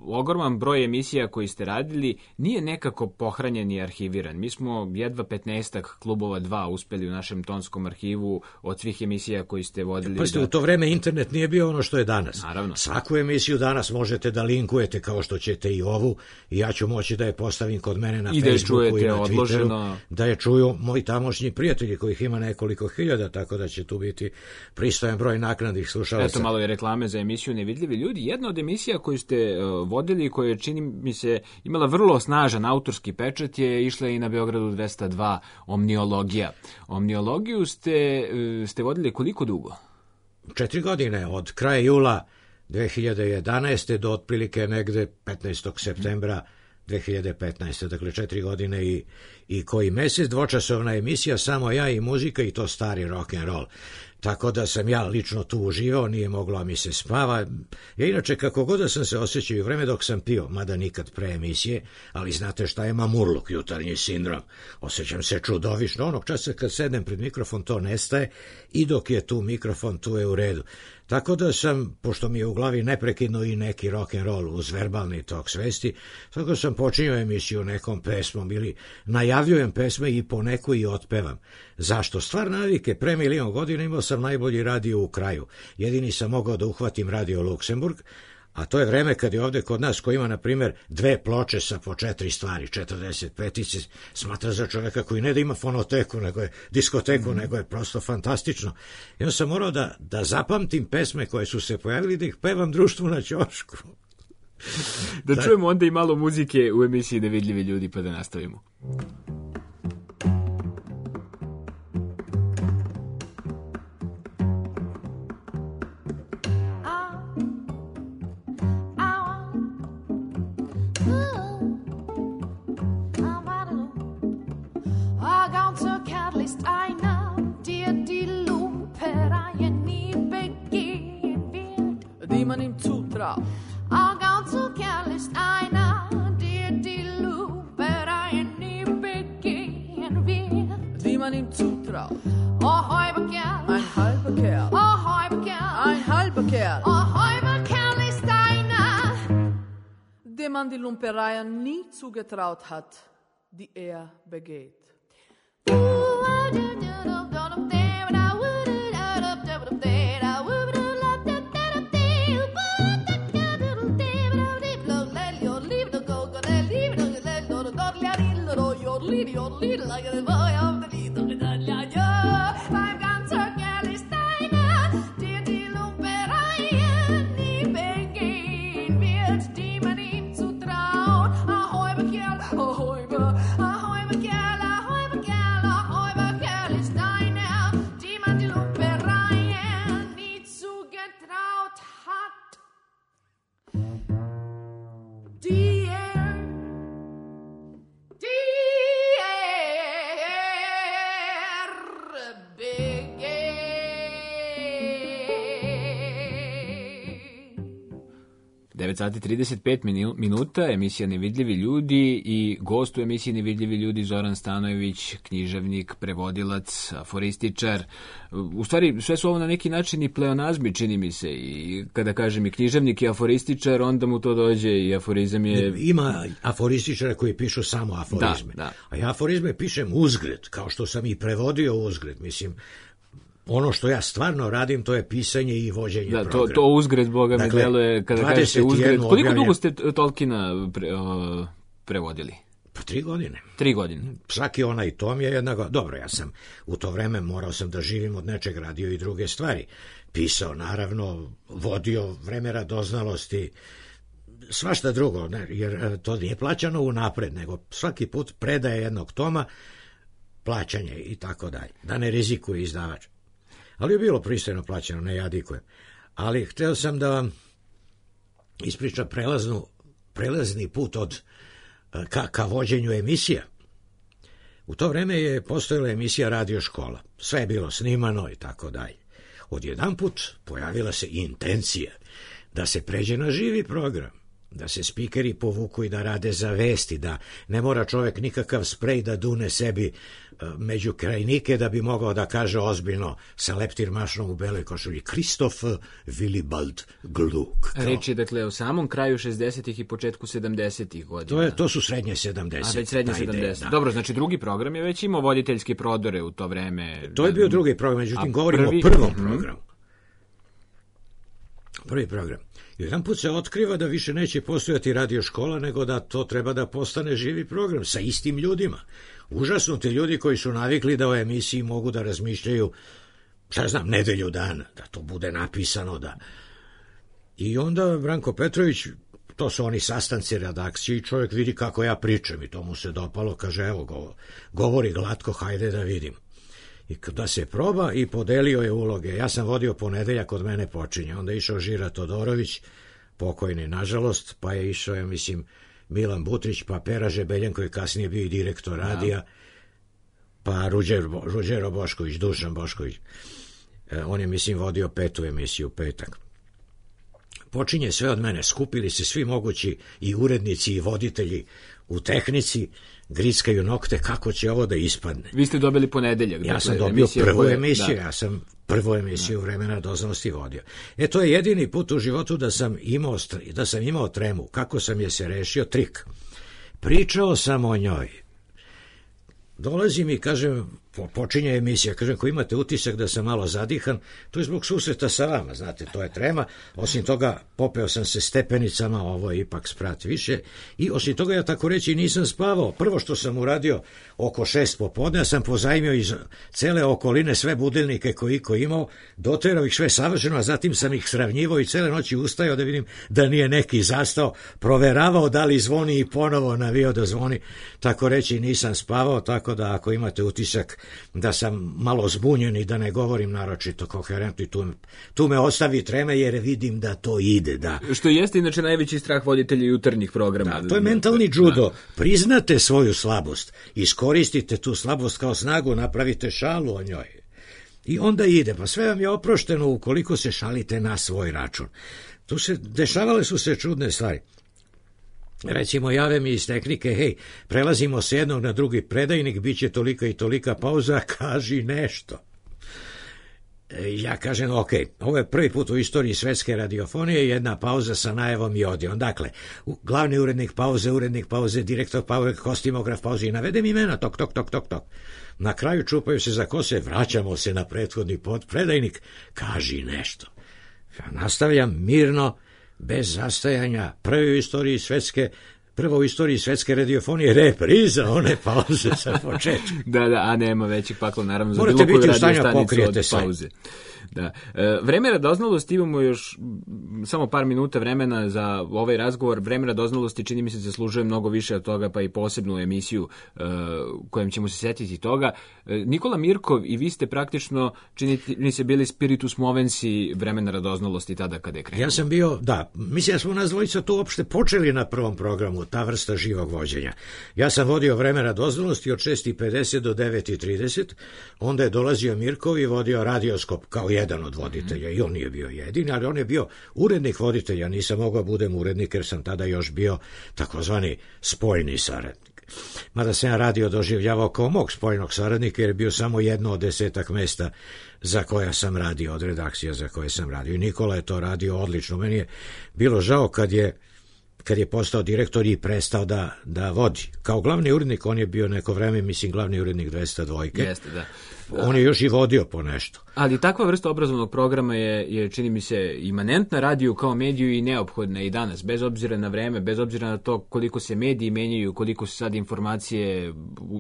ogroman broj emisija koji ste radili nije nekako pohranjen i arhiviran. Mi smo jedva 15 klubova 2 uspeli u našem tonskom arhivu od svih emisija koji ste vodili. Pa ste, u to vreme internet nije bio ono što je danas. Naravno. Svaku emisiju danas možete da linkujete kao što ćete i ovu, i ja ću moći da je postavim kod mene na Facebooku i na Twitteru, odloženo, da je čuju moji tamošnji prijatelji kojih ima nekoliko hiljada, tako da će tu biti pristojan broj naknadnih slušalaca. Eto malo je reklame za emisiju Nevidljivi ljudi. Jedna od emisija koju ste vodili, koja je, čini mi se, imala vrlo snažan autorski pečat, je išla i na Beogradu 202, Omniologija. Omniologiju ste vodili koliko dugo? 4 godine, od kraja jula 2011. do otprilike negde 15. septembra 2015. Dakle, 4 godine i koji mesec, dvočasovna emisija, samo ja i muzika, i to stari rock and roll. Tako da sam ja lično tu uživao, nije moglo mi se spava. Ja inače, kako god da sam se osjećao u vreme dok sam pio, mada nikad pre emisije, ali znate šta je mamurluk, jutarnji sindrom. Osjećam se čudovišno, onog časa kad sednem pred mikrofon to nestaje, i dok je tu mikrofon, tu je u redu. Tako da sam, pošto mi je u glavi neprekidno i neki rock and roll uz verbalni tok svesti, tako sam počinio emisiju nekom pesmom ili najavljujem pesme i po neku i otpevam. Zašto? Stvar navike, pre 1.000.000 godina imao sam najbolji radio u kraju. Jedini sam mogao da uhvatim radio Luksemburg, a to je vreme kad je ovde kod nas, ko ima, na primjer, 2 ploče sa po 4 stvari, 45, smatra za čoveka koji ne da ima fonoteku, nego je diskoteku, nego je prosto fantastično. I onda sam morao da zapamtim pesme koje su se pojavili, da ih pevam društvu na ćošku. Da čujemo onda i malo muzike u emisiji Nevidljivi ljudi, pa da nastavimo. man ihm zutraut. Oh, halber Kerl, ein halber Kerl. Oh, halber Kerl, ein halber Kerl. Oh, halber Kerl ist einer, dem man die Lumpereien nie zugetraut hat, die begeht. Beim ganzen Kerl ist einer, der die Lumpereien nie begehen wird, die man ihm zutraut. Ahoi, Kerl, ahoi, Kerl, ahoi, Kerl, ahoi, Kerl ist einer, die man die Lumpereien nie zugetraut hat. Die sati 35 minuta, emisija Nevidljivi ljudi i gost u emisiji Nevidljivi ljudi Zoran Stanojević, književnik, prevodilac, aforističar. U stvari, sve su ovo na neki način i pleonazmi, čini mi se. I kada kažem i književnik i aforističar, onda mu to dođe i aforizam je... Ima aforističara koji pišu samo aforizme. Da. A ja aforizme pišem uzgred, kao što sam i prevodio uzgred. Mislim, ono što ja stvarno radim, to je pisanje i vođenje programa. To uzgred, Boga mi deluje, kada kažete uzgred. Koliko dugo ste Tolkiena prevodili? Pa 3 godine. 3 godine. Svaki onaj tom je jednako. Dobro, ja sam u to vreme morao sam da živim od nečeg, radio i druge stvari. Pisao, naravno, vodio vreme radoznalosti, svašta drugo, ne, jer to nije plaćano unapred, nego svaki put predaje jednog toma, plaćanje i tako dalje. Da ne rizikuje izdavač. Ali je bilo pristojno plaćeno, ne jadikujem. Ali hteo sam da vam ispričam prelazni put od ka vođenju emisija. U to vreme je postojala emisija Radio škola. Sve je bilo snimano i tako dalje. Odjedanput pojavila se intencija da se pređe na živi program, da se spikeri povuku i da rade za vesti, da ne mora čovjek nikakav sprej da dune sebi među krajnike da bi mogao da kaže ozbiljno sa leptirmašnom u beloj košulji Kristof Willibald Gluck. Reč je dakle o samom kraju 60-ih i početku 70-ih godina. To su srednje 70. A već srednje 70. Dobro, znači drugi program je već imao voditeljske prodore u to vreme. To je bio drugi program, međutim govorimo o prvom programu. Prvi program. I jedan put se otkriva da više neće postojati radio škola, nego da to treba da postane živi program sa istim ljudima. Užasnuti ljudi koji su navikli da o emisiji mogu da razmišljaju, šta znam, nedelju dana, da to bude napisano. Da. I onda Branko Petrović, to su oni sastanci redakcije i čovjek vidi kako ja pričam i to mu se dopalo, kaže evo, govori glatko, hajde da vidim. I da se proba i podelio je uloge. Ja sam vodio Ponedeljak, od mene počinje. Onda je išao Žira Todorović, pokojni nažalost, pa je išao, ja mislim, Milan Butrić, pa Pera Žebeljan koji je kasnije bio i direktor radija, pa Ruđero Bošković, Dušan Bošković. On je, mislim, vodio 5. emisiju Petak. Počinje sve od mene. Skupili se svi mogući i urednici i voditelji u tehnici, grickaju nokte kako će ovo da ispadne. Vi ste dobili Ponedeljak. Ja sam dobio prvu emisiju, ja sam prvu emisiju Vremena doznanosti vodio. To je jedini put u životu da sam imao tremu. Kako sam je se rešio? Trik. Pričao sam o njoj. Dolazim i kažem, počinje emisija, kažem, ko imate utisak da sam malo zadihan, to je zbog susreta sa vama, znate, to je trema. Osim toga, popeo sam se stepenicama, ovo je ipak sprat više, i osim toga, ja tako reći, nisam spavao. Prvo što sam uradio, oko 6 popodne, ja sam pozajmio iz cele okoline sve budilnike koji iko imao, doterao ih sve savršeno, a zatim sam ih sravnjivao i cele noći ustajao da vidim da nije neki zastao, proveravao da li zvoni i ponovo navio da zvoni, tako reći, nisam spavao, tako da ako imate utisak da sam malo zbunjen i da ne govorim naročito koherentno, i tu me ostavi treme jer vidim da to ide. Da. Što jeste inače najveći strah voditelja jutarnjih programa. Da, to je mentalni judo. Priznate svoju slabost, iskoristite tu slabost kao snagu, napravite šalu o njoj. I onda ide, pa sve vam je oprošteno ukoliko se šalite na svoj račun. Dešavale su se čudne stvari. Recimo, jave mi iz tehnike, hej, prelazimo s jednog na drugi predajnik, bit će tolika i tolika pauza, kaži nešto. Ja kažem, ok, ovo je prvi put u istoriji svetske radiofonije, jedna pauza sa najavom i odijom. Dakle, glavni urednik pauze, direktor pauze, kostimograf pauze i navedem imena, tok. Na kraju čupaju se za kose, vraćamo se na prethodni predajnik, kaži nešto. Ja nastavljam mirno, bez zastajanja, prvo u istoriji svetske radiofonije, repriza one pauze sa početka. Da, a nema većeg pakla, naravno, za morate bilo koju biti u stanju radio stanicu od pauze. Da. Vreme radoznalosti, imamo još samo par minuta vremena za ovaj razgovor. Vreme radoznalosti čini mi se zaslužuje mnogo više od toga, pa i posebnu emisiju kojom ćemo se setiti toga. Nikola Mirkov i vi ste praktično, čini se, bili spiritus movensi vremena radoznalosti tada kada je krenuo. Ja sam bio, mislim da smo nas dvojica tu uopšte počeli na prvom programu, ta vrsta živog vođenja. Ja sam vodio vreme radoznalosti od 6:50 do 9:30, onda je dolazio Mirkov i vodio radioskop kao jedan od voditelja, i on nije bio jedini, ali on je bio urednik voditelja, nisam mogao budem urednik jer sam tada još bio takozvani spoljni saradnik. Mada sam ja radio doživljavao kao mog spoljnog saradnika jer je bio samo jedno od 10 mesta za koja sam radio, od redakcija za koje sam radio. I Nikola je to radio odlično. Meni je bilo žao kad je postao direktor i prestao da vodi. Kao glavni urednik, on je bio neko vreme, mislim, glavni urednik 202. Jeste, da. On je još i vodio po nešto. Ali takva vrsta obrazovnog programa je, čini mi se, imanentna radiju kao mediju i neophodna i danas, bez obzira na vreme, bez obzira na to koliko se mediji menjaju, koliko se sad informacije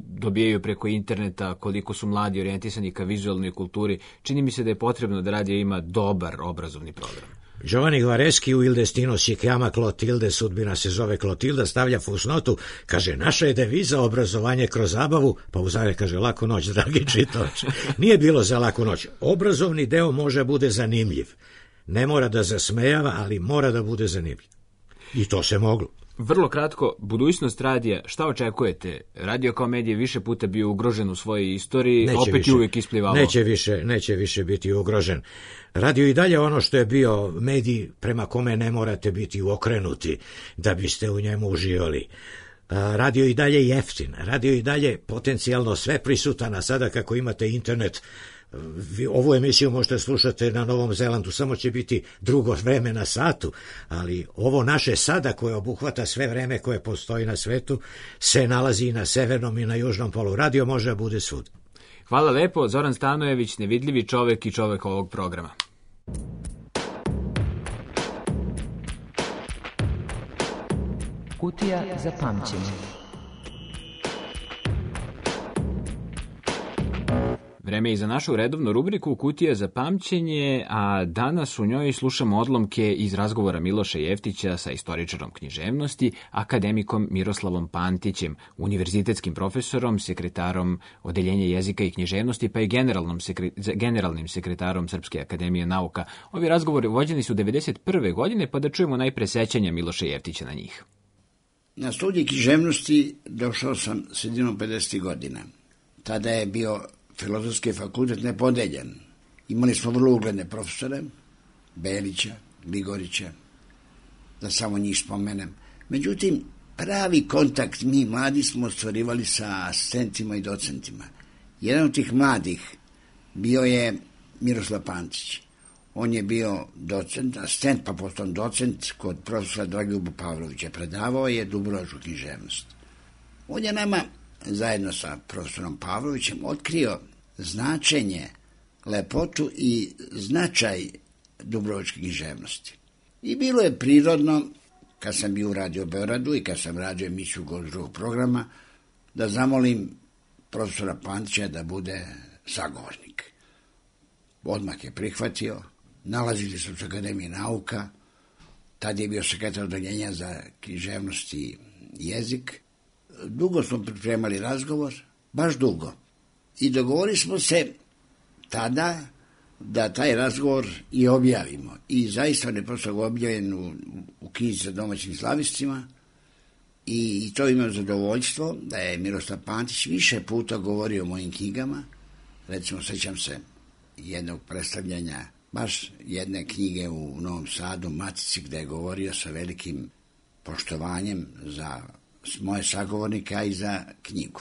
dobijaju preko interneta, koliko su mladi orijentisani ka vizualnoj kulturi. Čini mi se da je potrebno da radija ima dobar obrazovni program. Giovanni Gvareschi u Il destino si chiama Clotilde, sudbina se zove Klotilda, stavlja fusnotu, kaže, naša je deviza obrazovanje kroz zabavu, pa uzare kaže, laku noć, dragi čitaoče. Nije bilo za laku noć. Obrazovni deo može bude zanimljiv. Ne mora da zasmejava, ali mora da bude zanimljiv. I to se moglo. Vrlo kratko, budućnost radija, šta očekujete? Radio kao medij više puta bio ugrožen u svojoj istoriji, opet je uvijek isplivalo. Neće više biti ugrožen. Radio i dalje ono što je bio medij prema kome ne morate biti okrenuti da biste u njemu uživali. Radio i dalje jeftin, radio i dalje potencijalno sve prisutan, a sada kako imate internet, ovu emisiju možete slušati na Novom Zelandu, samo će biti drugo vreme na satu, ali ovo naše sada koje obuhvata sve vreme koje postoji na svetu se nalazi i na severnom i na južnom polu. Radio može da bude svud. Hvala lepo, Zoran Stanojević, nevidljivi čovek i čovek ovog programa. Kutija za pamćenje. Vreme je i za našu redovnu rubriku Kutija za pamćenje, a danas u njoj slušamo odlomke iz razgovora Miloša Jeftića sa istoričarom književnosti, akademikom Miroslavom Pantićem, univerzitetskim profesorom, sekretarom Odeljenja jezika i književnosti, pa i generalnim sekretarom Srpske akademije nauka. Ovi razgovori vođeni su 1991. godine, pa da čujemo najpre sećanja Miloša Jeftića na njih. Na studij književnosti došao sam sredinom 50. godina. Tada je bio Filozofski fakultet nepodeljen. Imali smo vrlo ugledne profesore, Belića, Gligorića, da samo njih spomenem. Međutim, pravi kontakt mi mladi smo ostvarivali sa asistentima i docentima. Jedan od tih mladih bio je Miroslav Pantić. On je bio docent, asistent pa potom docent kod profesora Dragoljuba Pavlovića. Predavao je dubrovačku književnost. On je nama zajedno sa profesorom Pavlovićem otkrio značenje, lepotu i značaj dubrovačke književnosti. I bilo je prirodno, kad sam bio u Radio Beogradu i kad sam radio emisiju Gost drugog programa, da zamolim profesora Pantića da bude sagovornik. Odmah je prihvatio, nalazili su se u Akademiji nauka, tad je bio sekretar odeljenja za književnost i jezik. Dugo smo pripremali razgovor, baš dugo. I dogovorili smo se tada da taj razgovor i objavimo. I zaista on je prosto objavljen u knjizi sa domaćim slavistima i to imam zadovoljstvo da je Miroslav Pantić više puta govorio o mojim knjigama. Recimo, sećam se jednog predstavljanja baš jedne knjige u Novom Sadu, Matici, gde je govorio sa velikim poštovanjem za moje sagovornika i za knjigu.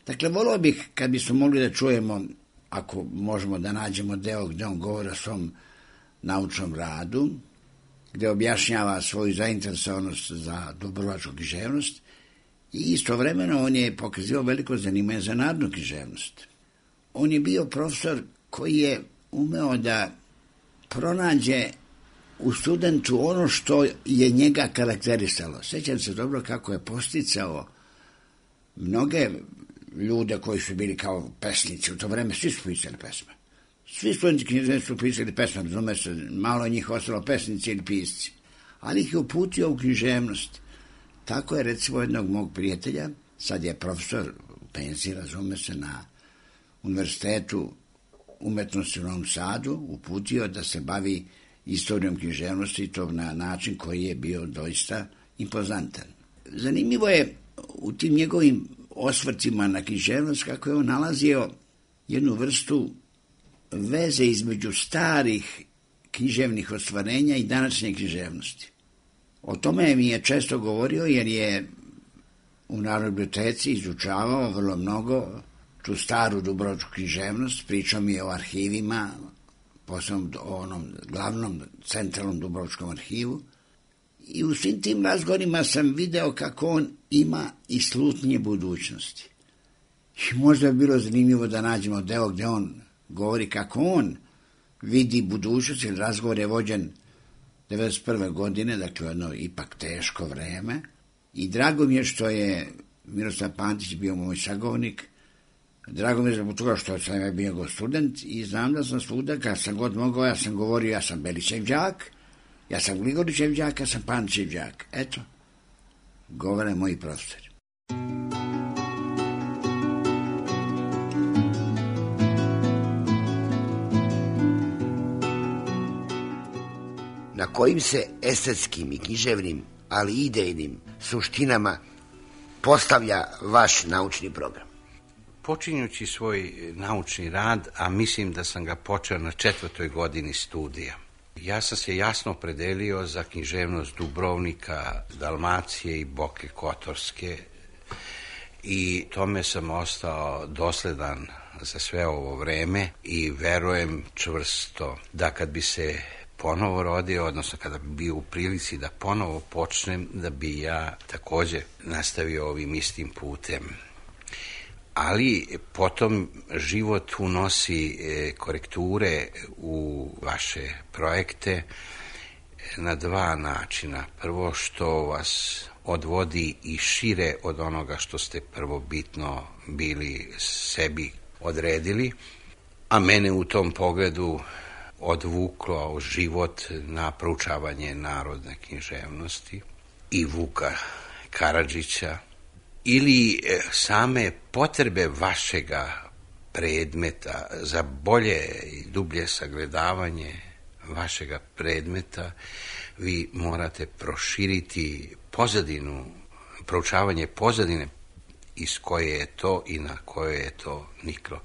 Dakle, volio bih kad bismo mogli da čujemo, ako možemo da nađemo deo gde on govori o svom naučnom radu, gde objašnjava svoju zainteresovanost za dubrovačku književnost i istovremeno on je pokazivao veliko zanimanje za narodnu književnost. On je bio profesor koji je umeo da pronađe u studentu ono što je njega karakterisalo. Sjećam se dobro kako je posticao mnoge ljude koji su bili kao pesnici. U to vreme svi su pisali pesme. Svi studenti književnosti su pisali pesme, razume se, malo njih ostalo pesnici ili pisci. Ali ih je uputio u književnost. Tako je recimo jednog mog prijatelja, sad je profesor u penziji, razume se, na Univerzitetu umetnosti u Novom Sadu, uputio da se bavi istorijom književnosti i to na način koji je bio doista impozantan. Zanimljivo je u tim njegovim osvrcima na književnost kako je on nalazio jednu vrstu veze između starih književnih ostvarenja i današnje književnosti. O tome mi je često govorio jer je u Narodnoj biblioteci izučavao vrlo mnogo tu staru dubrovačku književnost, pričao mi je o arhivima, posebno o onom glavnom centralnom dubrovačkom arhivu. I u svim tim razgovorima sam video kako on ima i slutnje budućnosti. I možda je bilo zanimljivo da nađemo deo gde on govori kako on vidi budućnost, jer razgovor je vođen 1991. godine, dakle jedno ipak teško vreme. I drago mi je što je Miroslav Pantić bio moj sagovornik. Drago mi je zbog toga što sam bio go student i znam da sam svuda, kad sam god mogao, ja sam govorio, ja sam Belićev đak, ja sam Gligorićev đak, ja sam Pantićev đak. Eto, govore moji profesori. Na kojim se estetskim i književnim, ali i idejnim suštinama postavlja vaš naučni program? Počinjući svoj naučni rad, a mislim da sam ga počeo na 4. godini studija, ja sam se jasno opredelio za književnost Dubrovnika, Dalmacije i Boke Kotorske i tome sam ostao dosledan za sve ovo vreme i verujem čvrsto da kad bi se ponovo rodio, odnosno kada bi bio u prilici da ponovo počnem, da bi ja takođe nastavio ovim istim putem. Ali potom život unosi korekture u vaše projekte na dva načina. Prvo što vas odvodi i šire od onoga što ste prvobitno bili sebi odredili, a mene u tom pogledu odvuklo život na proučavanje narodne književnosti i Vuka Karadžića, ili same potrebe vašega predmeta za bolje i dublje sagledavanje vašega predmeta, vi morate proširiti pozadinu, proučavanje pozadine iz koje je to i na koje je to niklo.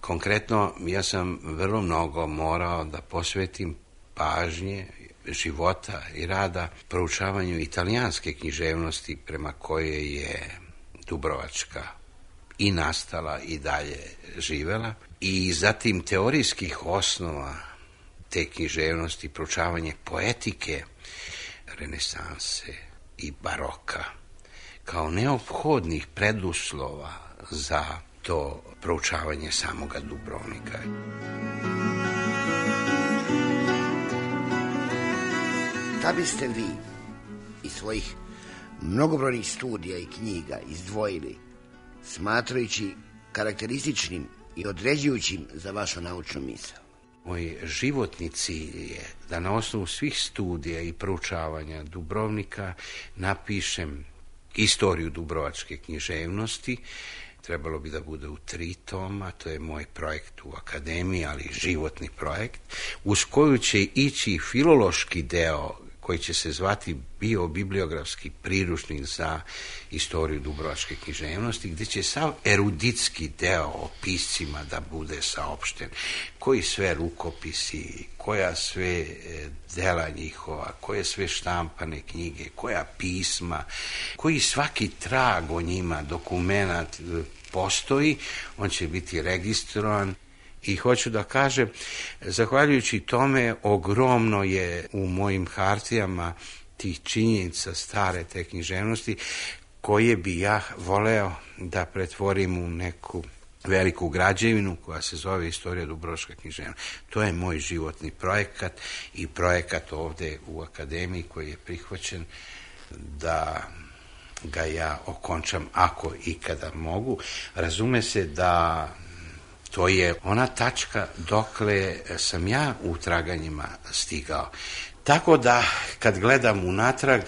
Konkretno, ja sam vrlo mnogo morao da posvetim pažnje života i rada proučavanju italijanske književnosti prema koje je Dubrovačka i nastala i dalje živela, i zatim teorijskih osnova te književnosti, proučavanje poetike renesanse i baroka kao neophodnih preduslova za to proučavanje samoga Dubrovnika. Da biste vi iz svojih mnogobrojnih studija i knjiga izdvojili, smatrajući karakterističnim i određujućim za vašu naučnu misao? Moj životni cilj je da na osnovu svih studija i proučavanja Dubrovnika napišem istoriju dubrovačke književnosti. Trebalo bi da bude u 3 toma, to je moj projekt u akademiji, ali životni projekt, uz koju će ići filološki deo koji će se zvati biobibliografski priručnik za istoriju dubrovačke književnosti, gdje će sav eruditski deo o piscima da bude saopšten. Koji sve rukopisi, koja sve dela njihova, koje sve štampane knjige, koja pisma, koji svaki trag o njima, dokumenat postoji, on će biti registrovan. I hoću da kažem, zahvaljujući tome, ogromno je u mojim hartijama tih činjenica stare te književnosti, koje bi ja voleo da pretvorim u neku veliku građevinu koja se zove Istorija dubrovačke književnosti. To je moj životni projekat i projekat ovde u Akademiji koji je prihvaćen da ga ja okončam ako ikada mogu. Razume se da to je ona tačka dokle sam ja u traganjima stigao. Tako da kad gledam unatrag,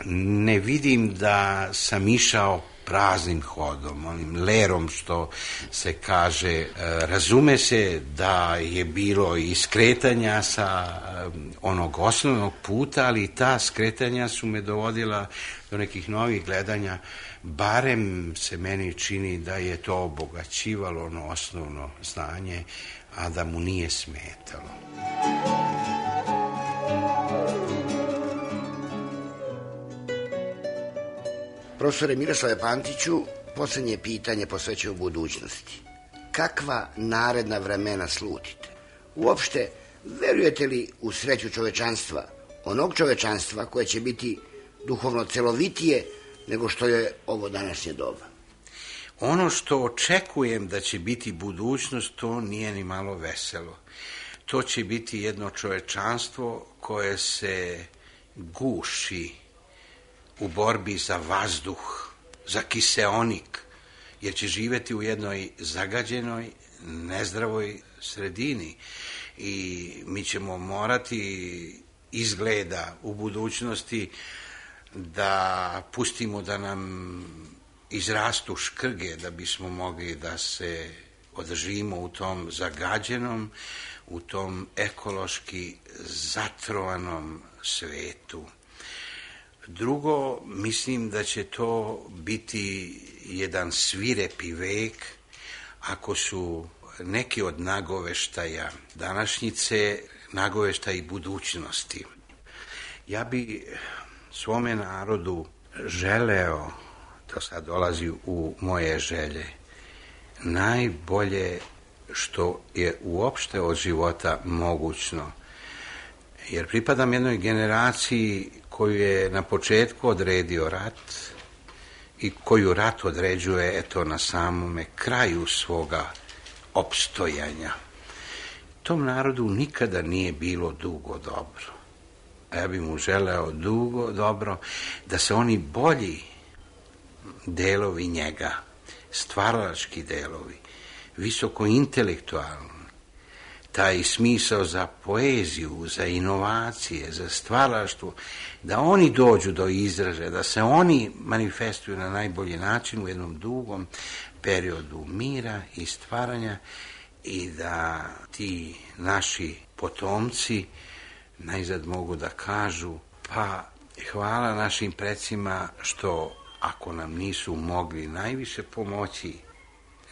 ne vidim da sam išao praznim hodom, onim lerom što se kaže. Razume se da je bilo i skretanja sa onog osnovnog puta, ali ta skretanja su me dovodila do nekih novih gledanja. Barem se meni čini da je to obogaćivalo ono osnovno znanje, a da mu nije smetalo. Profesore Miroslave Pantiću, posljednje pitanje posvećuje u budućnosti. Kakva naredna vremena slutite? Uopšte, verujete li u sreću čovečanstva, onog čovečanstva koje će biti duhovno celovitije nego što je ovo današnje doba? Ono što očekujem da će biti budućnost, to nije ni malo veselo. To će biti jedno čovečanstvo koje se guši u borbi za vazduh, za kiseonik, jer će živjeti u jednoj zagađenoj, nezdravoj sredini i mi ćemo morati izgleda u budućnosti da pustimo da nam izrastu škrge da bismo mogli da se održimo u tom zagađenom, u tom ekološki zatrovanom svetu. Drugo, mislim da će to biti jedan svirepi vek ako su neki od nagoveštaja današnjice nagoveštaji budućnosti. Ja bi svome narodu želeo, to sad dolazi u moje želje, najbolje što je uopšte od života mogućno. Jer pripadam jednoj generaciji koju je na početku odredio rat i koju rat određuje eto na samome kraju svoga opstojanja. Tom narodu nikada nije bilo dugo dobro. A ja bih mu želeo dugo dobro da se oni bolji delovi njega, stvaralački delovi, visoko intelektualni, taj smisao za poeziju, za inovacije, za stvaralaštvo, da oni dođu do izražaja, da se oni manifestuju na najbolji način u jednom dugom periodu mira i stvaranja i da ti naši potomci najzad mogu da kažu, pa hvala našim precima što ako nam nisu mogli najviše pomoći,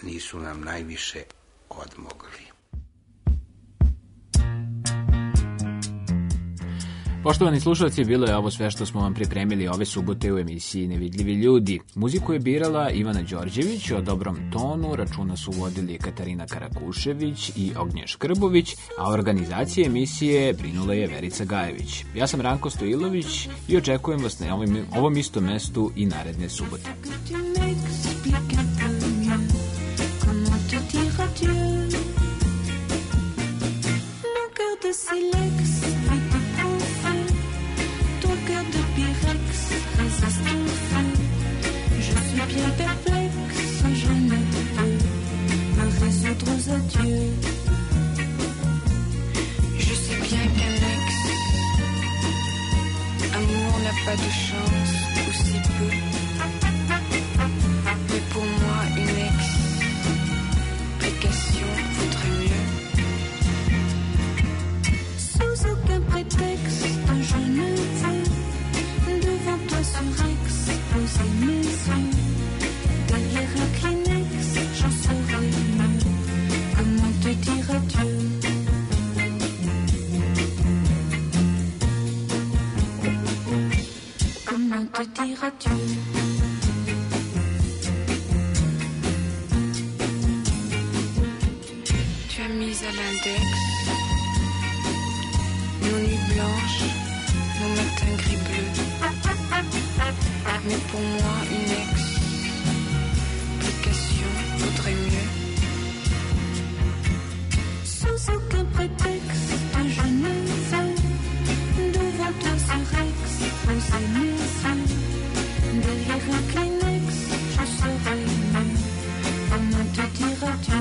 nisu nam najviše odmogli. Poštovani slušalci, bilo je ovo sve što smo vam pripremili ove subote u emisiji Nevidljivi ljudi. Muziku je birala Ivana Đorđević, o dobrom tonu računa su vodili Katarina Karakušević i Ognjen Škrbović, a organizacije emisije brinula je Verica Gajević. Ja sam Ranko Stojilović i očekujem vas na ovom istom mestu i naredne subote. Bien perplexe, je ne peux me résoudre aux adieux. Je sais bien qu'un ex amour n'a pas de chance, ou si peu. Mais pour moi, une explication vaudrait mieux. Sous aucun prétexte, je ne veux pour moi une explication vaudrait mieux. Sans aucun prétexte, je ne veux devant toi ce Rex poser mes yeux. Derrière un Kleenex, je serai mieux. Comment te diras-tu?